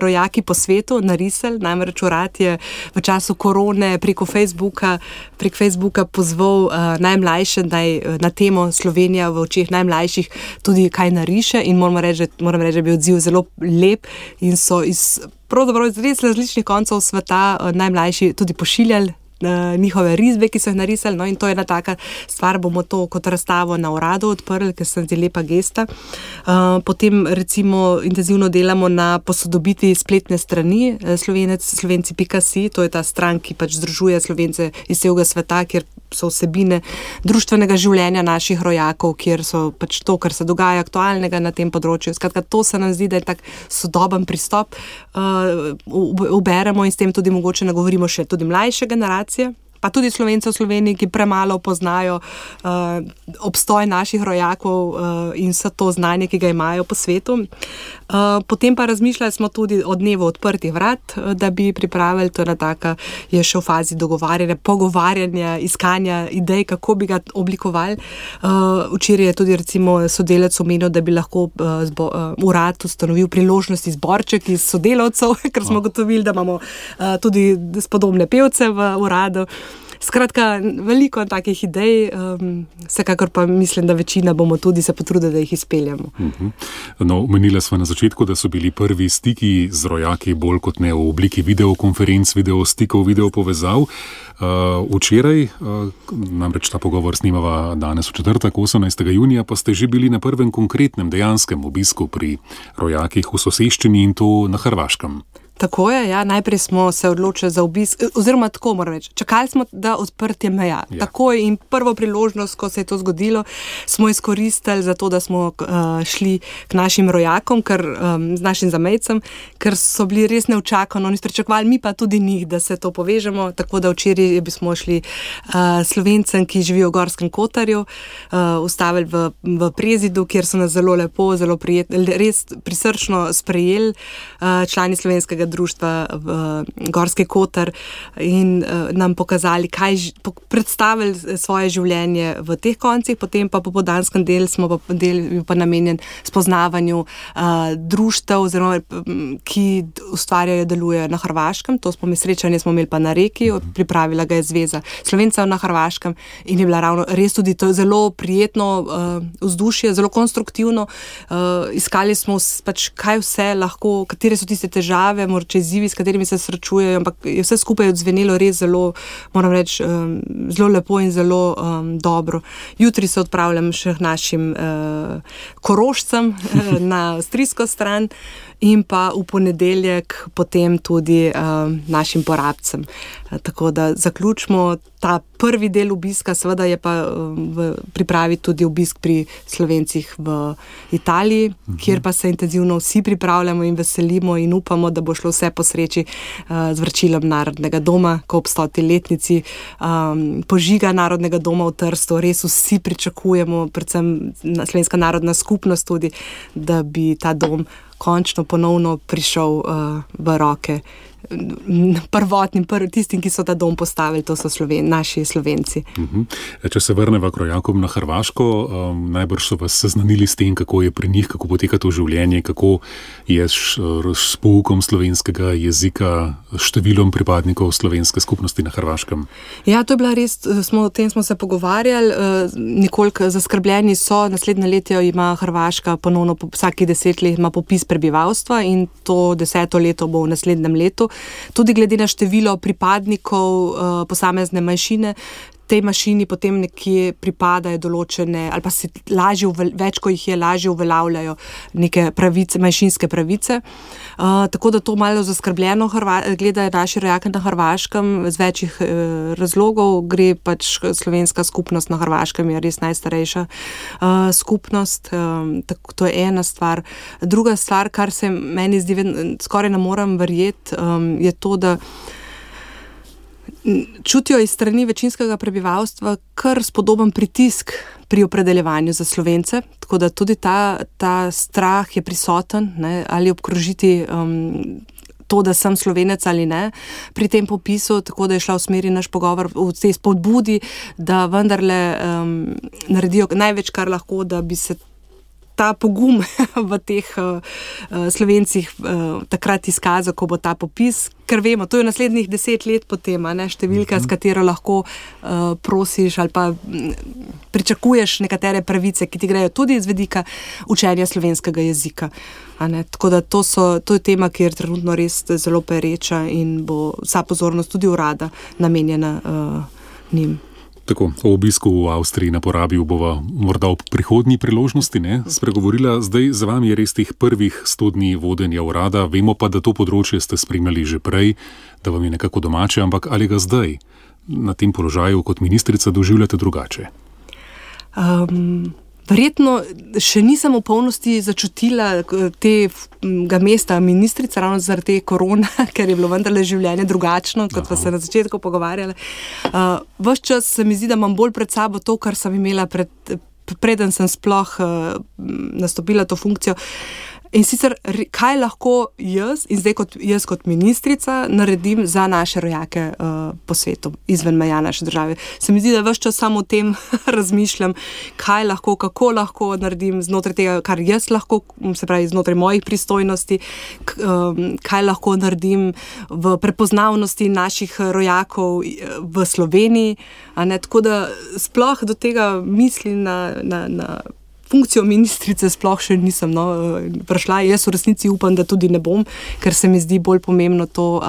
rojaki po svetu narisali. Namreč urad je v času korone prek Facebooka pozval najmlajše, na temo Slovenija v očeh najmlajših tudi kaj nariše in moram reči, da je bil odziv zelo lep in so pravzaprav iz res različnih koncev sveta najmlajši tudi pošiljali njihove risbe, ki so jih narisali, no, in to je ena taka stvar, bomo to kot razstavo na uradu odprli, ker se zdi lepa gesta. Potem recimo intenzivno delamo na posodobitvi spletne strani slovenci.si, to je ta stran, ki pač združuje Slovence iz celega sveta, kjer so vsebine društvenega življenja naših rojakov, kjer so pač to, kar se dogaja aktualnega na tem področju. Skratka, to se nam zdi, da je tak sodoben pristop. Uberemo in s tem tudi mogoče nagovorimo še tudi mlajše generacije, pa tudi Slovence v Sloveniji, ki premalo poznajo obstoj naših rojakov in vse to znanje, ki ga imajo po svetu. Potem pa razmišljali smo tudi o dnevu odprtih vrat, da bi pripravili, to je še v fazi dogovarjanja, pogovarjanja, iskanja idej, kako bi ga oblikovali. Včeraj je tudi recimo sodelavec omenil, da bi lahko urad ustanovil priložnosti zborček iz sodelavcev, ker smo gotovili, da imamo tudi spodobne pevce v uradu. Skratka, veliko takih idej, vsekakor pa mislim, da večina bomo tudi se potrudili, da jih izpeljamo. No, omenila sva na začetku, da so bili prvi stiki z rojaki bolj kot ne v obliki videokonferenc, videostikov, videopovezav. Včeraj, namreč ta pogovor snimava danes v četrtek, 18. junija, pa ste že bili na prvem konkretnem dejanskem obisku pri rojakih v soseščini in to na Hrvaškem. Tako je, ja. Najprej smo se odločili za obisk, oziroma tako moram reči, čakali smo, da odprtje meja. Ja. Takoj in prvo priložnost, ko se je to zgodilo, smo izkoristili za to, da smo šli k našim rojakom, z našim zamejcem, ker so bili res neučakano, oni pričakovali, mi pa tudi njih, da se to povežemo, tako da včeraj smo šli Slovencem, ki živijo v Gorskem Kotarju, ustavili v Prezidu, kjer so nas zelo lepo, zelo prijetno, res prisrčno sprejeli člani slovenskega društva v Gorski Kotar in nam pokazali, predstavili svoje življenje v teh koncih, potem pa popoldanskem delu smo pa namenjen spoznavanju društev, oziroma ki ustvarjajo, delujejo na Hrvaškem. To srečanje smo imeli pa na Reki, pripravila ga je Zveza Slovencev na Hrvaškem in je bila ravno res tudi to zelo prijetno vzdušje, zelo konstruktivno. Iskali smo pač, kaj vse lahko, katere so tiste težave, morda izzivi, s katerimi se srečujejo, ampak je vse skupaj odzvenelo res zelo, moram reči, zelo lepo in zelo dobro. Jutri se odpravljam še k našim Korošcem na avstrijsko stran in pa v ponedeljek potem tudi našim Porabcem. Tako da zaključimo ta prvi del obiska, seveda je pa v pripravi tudi obisk pri Slovencih v Italiji, kjer pa se intenzivno vsi pripravljamo in veselimo in upamo, da bo šlo vse po sreči z vračilom Narodnega doma, ko ob 100. letnici požiga Narodnega doma v Trstu. Res vsi pričakujemo, predvsem Slovenska narodna skupnost tudi, da bi ta dom končno ponovno prišel v roke prvotnim, tistim, ki so ta dom postavili, to so naši Slovenci. Če se vrneva k rojakom na Hrvaško, najbrž so vas seznanili s tem, kako je pri njih, kako poteka to življenje, kako je s poukom slovenskega jezika, številom pripadnikov slovenske skupnosti na Hrvaškem. Ja, to je bila res, o tem smo se pogovarjali, nekoliko zaskrbljeni so, naslednje leto ima Hrvaška ponovno, vsaki 10 let ima popis prebivalstva in to 10. leto bo v naslednjem letu. Tudi glede na število pripadnikov posamezne manjšine, tej manjšini potem nekje pripadajo določene, ali pa se več, ko jih je, lažje uveljavljajo neke pravice, manjšinske pravice. Tako da to malo zaskrbljeno gledajo naši rojaki na Hrvaškem z večjih razlogov. Gre pač slovenska skupnost na Hrvaškem, je res najstarejša skupnost. To je ena stvar. Druga stvar, kar se meni zdi, skoraj ne morem verjeti, je to, da čutijo iz strani večinskega prebivalstva kar spodoben pritisk pri opredeljevanju za Slovence, tako da tudi ta strah je prisoten, ne, ali obkrožiti to, da sem Slovenec ali ne, pri tem popisu, tako da je šla v smeri naš pogovor v tej spodbudi, da vendarle naredijo največ, kar lahko, da bi se ta pogum v teh Slovencih takrat izkazal, ko bo ta popis, ker vemo, to je naslednjih 10 let potem, ne, številka, s katero lahko prosiš ali pa pričakuješ nekatere pravice, ki ti grejo tudi iz vidika učenja slovenskega jezika. Tako da to je tema, ki je trenutno res zelo pereča in bo vsa pozornost tudi urada namenjena njim. Tako, o obisku v Avstriji na Porabju bova morda ob prihodnji priložnosti spregovorila. Zdaj za vami je res teh prvih 100 dni vodenja urada. Vemo pa, da to področje ste spremljali že prej, da vam je nekako domače, ampak ali ga zdaj na tem položaju kot ministrica doživljate drugače? Verjetno še nisem v polnosti začutila tega mesta ministrica, ravno zaradi te korona, ker je bilo vendarle življenje drugačno, kot pa se na začetku pogovarjali. Ves čas se mi zdi, da imam bolj pred sabo to, kar sem imela preden sem sploh nastopila to funkcijo. In sicer, kaj lahko jaz, in zdaj jaz kot ministrica, naredim za naše rojake po svetu, izven meja naše države. Se mi zdi, da ves čas samo o tem razmišljam, kaj lahko, kako lahko naredim znotraj tega, kar jaz lahko, se pravi znotraj mojih pristojnosti, kaj lahko naredim v prepoznavnosti naših rojakov v Sloveniji. Tako da sploh do tega mislim na funkcijo ministrice sploh še nisem prišla. Jaz v resnici upam, da tudi ne bom, ker se mi zdi bolj pomembno to.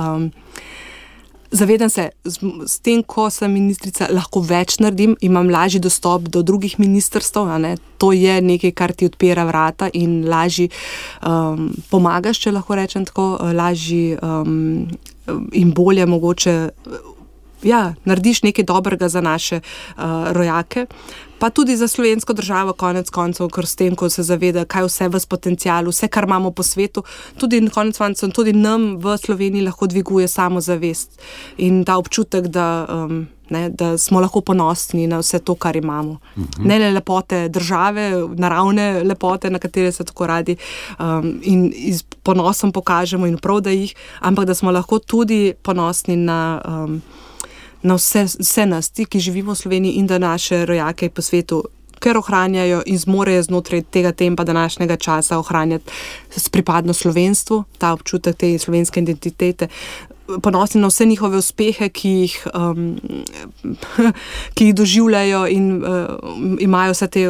Zavedam se, s tem, ko sem ministrica, lahko več naredim, imam lažji dostop do drugih ministrstev, To je nekaj, kar ti odpira vrata in lažji pomagaš, če lahko rečem tako, lažji in bolje mogoče narediš nekaj dobrega za naše rojake, pa tudi za slovensko državo konec koncev, ker s tem, ko se zaveda, kaj vse v potencialu, vse, kar imamo po svetu, tudi konec koncev, tudi nam v Sloveniji lahko dviguje samozavest in ta občutek, da smo lahko ponosni na vse to, kar imamo. Ne le lepote države, naravne lepote, na katere se tako radi in z ponosom pokažemo in prav, da jih, ampak da smo lahko tudi ponosni na vse nas, ti, ki živimo v Sloveniji in da naše rojake po svetu, ker ohranjajo in zmorejo znotraj tega tempa današnjega časa ohranjati s pripadnost slovenstvu, ta občutek te slovenske identitete, ponosni na vse njihove uspehe, ki jih doživljajo in imajo vse te,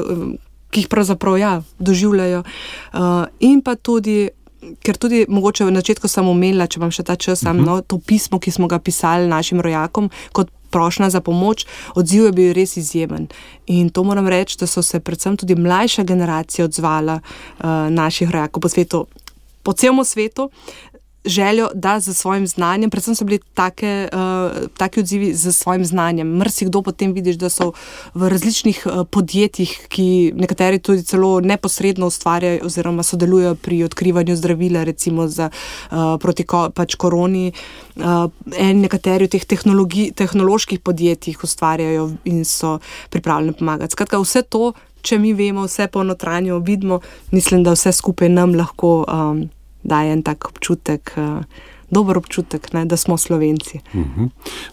ki jih pravzaprav doživljajo. In pa tudi ker tudi mogoče v začetku sem omenila, če vam še ta čas, to pismo, ki smo ga pisali našim rojakom kot prošnja za pomoč, odziv je bil res izjemen. In to moram reči, da so se predvsem tudi mlajša generacija odzvala naših rojakov po svetu, po celem svetu, željo, da z svojim znanjem, predvsem so bili taki odzivi z svojim znanjem. Marsikdo potem vidiš, da so v različnih podjetjih, ki nekateri tudi celo neposredno ustvarjajo oziroma sodelujo pri odkrivanju zdravila, recimo proti koroni. Nekateri v teh tehnoloških podjetjih ustvarjajo in so pripravljeni pomagati. Skratka, vse to, če mi vemo, vse po notranjo vidimo, mislim, da vse skupaj nam lahko daje en tak občutek, dober občutek, da smo Slovenci.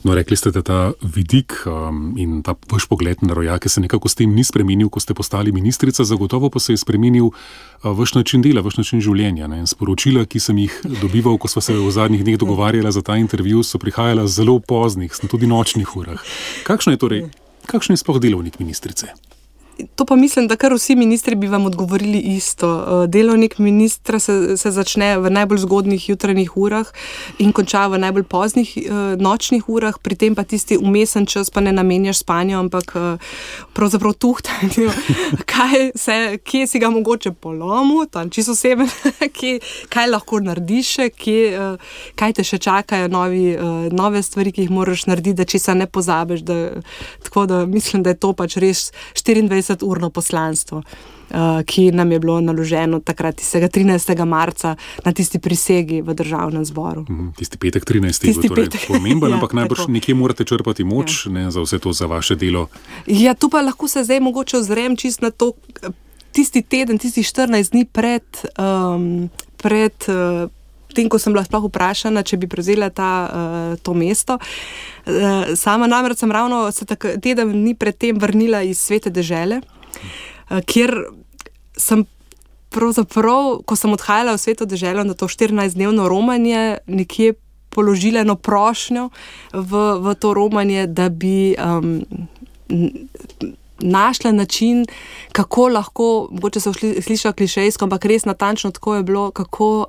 No, rekli ste, da ta vidik in ta vaš pogled na rojake se nekako s tem ni spremenil, ko ste postali ministrica, zagotovo pa se je spremenil vaš način dela, vaš način življenja. Sporočila, ki sem jih dobival, ko sva se v zadnjih dneh dogovarjala za ta intervju, so prihajala zelo poznih, tudi nočnih urah. Kakšno je sploh delovnik ministrice? To pa mislim, da kar vsi ministri bi vam odgovorili isto. Delovnik ministra se začne v najbolj zgodnih jutranjih urah in konča v najbolj poznih nočnih urah, pri tem pa tisti vmesen čas pa ne namenjaš spanju, ampak pravzaprav tuhtanju, kje si ga mogoče polomil, tam čisto oseben, kaj lahko narediš, kaj te še čakajo nove stvari, ki jih moraš narediti, da česa ne pozabiš. Tako da mislim, da je to pač res 24-urno poslanstvo, ki nam je bilo naloženo takrat tistega 13. marca na tisti prisegi v državnem zboru. Tisti petek 13. je bil torej pomemben, ampak najbrž nekje morate črpati moč za vse to, za vaše delo. Ja, tu pa lahko se zdaj mogoče ozrem čist na to, tisti teden, tisti 14 dni pred tem, ko sem bila sploh vprašana, če bi prevzela to mesto. Sama namreč sem ravno se teden dni pred tem vrnila iz Svete dežele, kjer sem pravzaprav, ko sem odhajala v Sveto deželo na to 14-dnevno romanje, nekje položila eno prošnjo v to romanje, da bi našla način, kako lahko, mogoče se sliša klišejsko, ampak res natančno tako je bilo, kako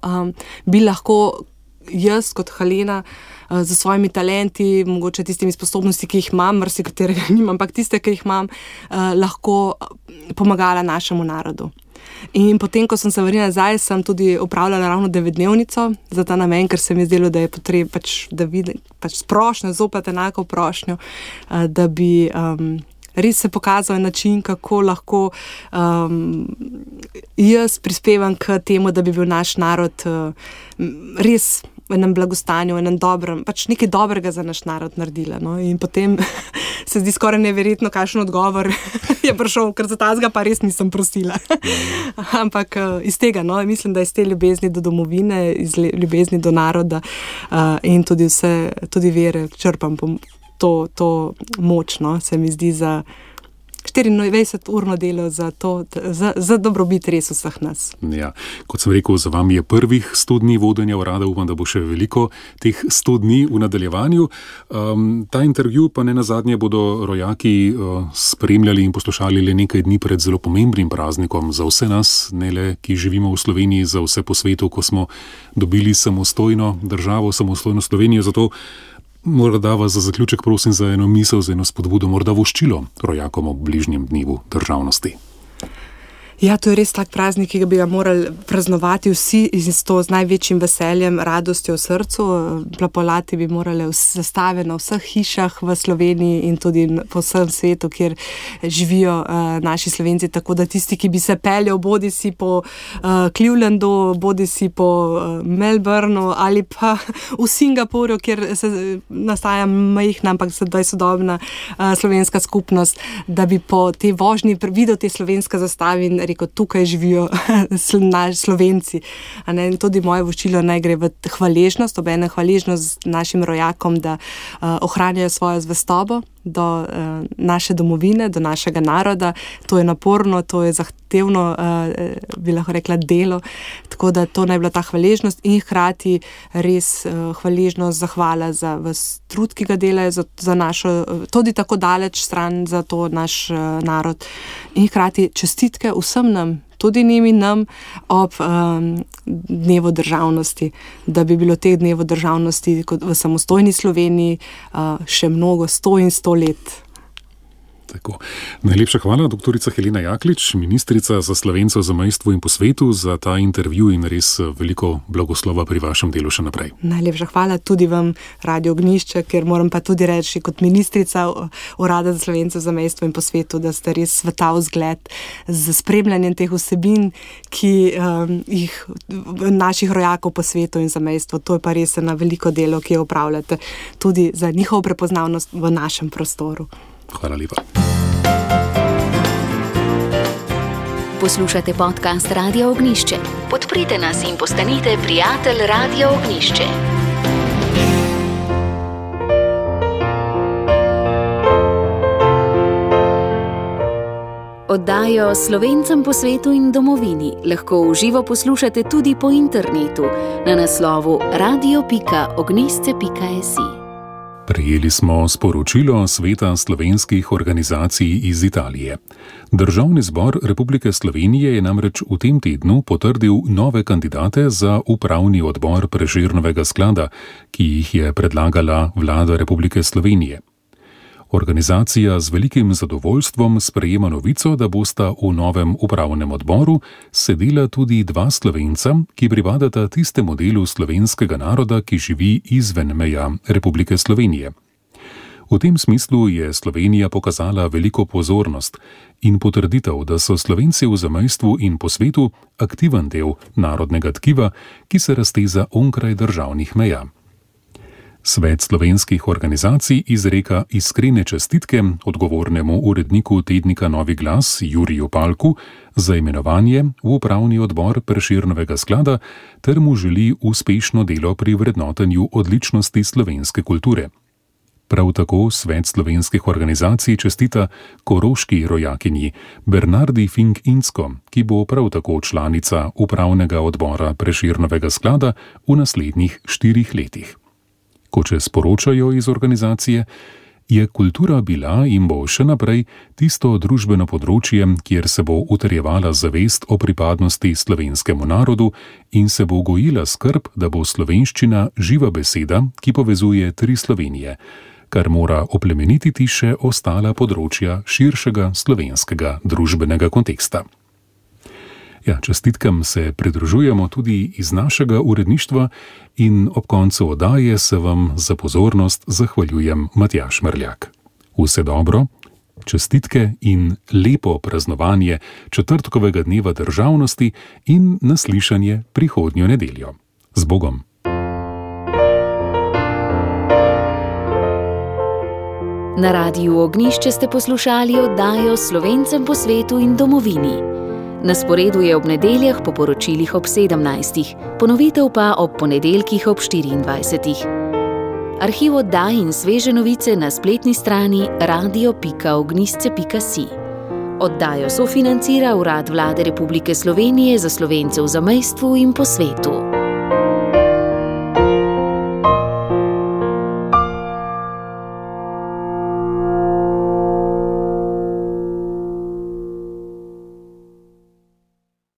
bi lahko jaz kot Halena z svojimi talenti, mogoče tistimi sposobnosti, ki jih imam, marsikaterega nimam, ampak tiste, ki jih imam, lahko pomagala našemu narodu. In potem, ko sem se vrnila nazaj, sem tudi opravljala ravno 9-dnevnico za ta namen, ker se mi je zdelo, da je potreba, da vidim prošnjo, zopet enako prošnjo, da bi res se pokazal način, kako lahko jaz prispevam k temu, da bi bil naš narod res v enem blagostanju, v enem dobrem, pač nekaj dobrega za naš narod naredila. No? In potem se zdi skoraj neverjetno, kakšen odgovor je prišel, ker za tazga pa res nisem prosila. Ampak iz tega, no, mislim, da iz te ljubezni do domovine, iz ljubezni do naroda in tudi vere črpam to moč, no, se mi zdi za 24-urno delo za dobrobit res vseh nas. Ja, kot sem rekel, za vami je prvih 100 dni vodenja urada, upam, da bo še veliko teh 100 dni v nadaljevanju. Ta intervju pa ne nazadnje bodo rojaki spremljali in poslušali le nekaj dni pred zelo pomembnim praznikom za vse nas, ne le, ki živimo v Sloveniji, za vse po svetu, ko smo dobili samostojno državo, samostojno Slovenijo. Zato morda vas za zaključek prosim za eno misel, za eno spodbudo, morda voščilo rojakom ob bližnjem dnevu državnosti. Ja, to je res tak praznik, ki bi ga morali praznovati vsi in to z največjim veseljem, radostjo v srcu. Plapolati bi morali zastave na vseh hišah v Sloveniji in tudi po vsem svetu, kjer živijo naši Slovenci, tako da tisti, ki bi se peljal bodi si po Clevelandu, bodi si po Melbourneu ali pa v Singapurju, kjer se nastaja majhna, ampak sedaj sodobna slovenska skupnost, da bi po tej vožnji videl te slovenske zastave in rekel, tukaj živijo Slovenci. In tudi moje voščilo naj gre v hvaležnost, obenem hvaležnost našim rojakom, da ohranjajo svojo zvestobo do naše domovine, do našega naroda. To je naporno, to je zahtevno, bi lahko rekla, delo. Tako da to naj bila ta hvaležnost in hkrati res hvaležnost, zahvala za vas trud, ki ga delajo za našo, tudi tako daleč stran za to naš narod. In hkrati čestitke vsem nam, tudi njim in nam ob dnevu državnosti, da bi bilo teh dnevu državnosti kot v samostojni Sloveniji še mnogo, 100 in 100 let. Tako. Najlepša hvala, doktorica Helena Jaklič, ministrica za Slovence v zamejstvu in po svetu, za ta intervju in res veliko blagoslova pri vašem delu še naprej. Najlepša hvala tudi vam, Radio Ognjišče, ker moram pa tudi reči kot ministrica Urada za Slovence v zamejstvu in po svetu, da ste res sveta vzgled z spremljanjem teh vsebin, ki jih naših rojakov po svetu in zamejstvu. To je pa res eno veliko delo, ki jo opravljate tudi za njihovo prepoznavnost v našem prostoru. Hvala lepa. Poslušate podcast Radia Ognjišče. Podprite nas in postanite prijatelj Radia Ognjišče. Oddajo Slovencem po svetu in domovini lahko v živo poslušate tudi po internetu na naslovu radio.ognjišče.si. Prejeli smo sporočilo Sveta slovenskih organizacij iz Italije. Državni zbor Republike Slovenije je namreč v tem tednu potrdil nove kandidate za upravni odbor Prešernovega sklada, ki jih je predlagala Vlada Republike Slovenije. Organizacija z velikim zadovoljstvom sprejema novico, da bosta v novem upravnem odboru sedela tudi dva Slovenca, ki pripadata tistemu delu slovenskega naroda, ki živi izven meja Republike Slovenije. V tem smislu je Slovenija pokazala veliko pozornost in potrditev, da so Slovenci v zamejstvu in po svetu aktiven del narodnega tkiva, ki se razteza onkraj državnih meja. Svet slovenskih organizacij izreka iskrene čestitke odgovornemu uredniku tednika Novi glas Juriju Palku za imenovanje v upravni odbor Prešernovega sklada ter mu želi uspešno delo pri vrednotenju odličnosti slovenske kulture. Prav tako Svet slovenskih organizacij čestita koroški rojakinji Bernardi Fink-Incko, ki bo prav tako članica upravnega odbora Prešernovega sklada v naslednjih 4 letih. Kot še sporočajo iz organizacije, je kultura bila in bo še naprej tisto družbeno področje, kjer se bo utrjevala zavest o pripadnosti slovenskemu narodu in se bo gojila skrb, da bo slovenščina živa beseda, ki povezuje 3 Slovenije, kar mora oplemenititi še ostala področja širšega slovenskega družbenega konteksta. Ja, čestitkam se pridružujemo tudi iz našega uredništva in ob koncu oddaje se vam za pozornost zahvaljujem Matjaž Merljak. Vse dobro, čestitke in lepo praznovanje četrtkovega dneva državnosti in naslišanje prihodnjo nedeljo. Z Bogom! Na Radiu Ognjišče ste poslušali oddajo Slovencem po svetu in domovini. Na sporedu je ob nedeljah po poročilih ob 17. Ponovitev pa ob ponedeljkih ob 24. Arhiv oddaj in sveže novice na spletni strani radio.ognjišče.si. Oddajo sofinancira Urad Vlade Republike Slovenije za Slovence v zamejstvu in po svetu.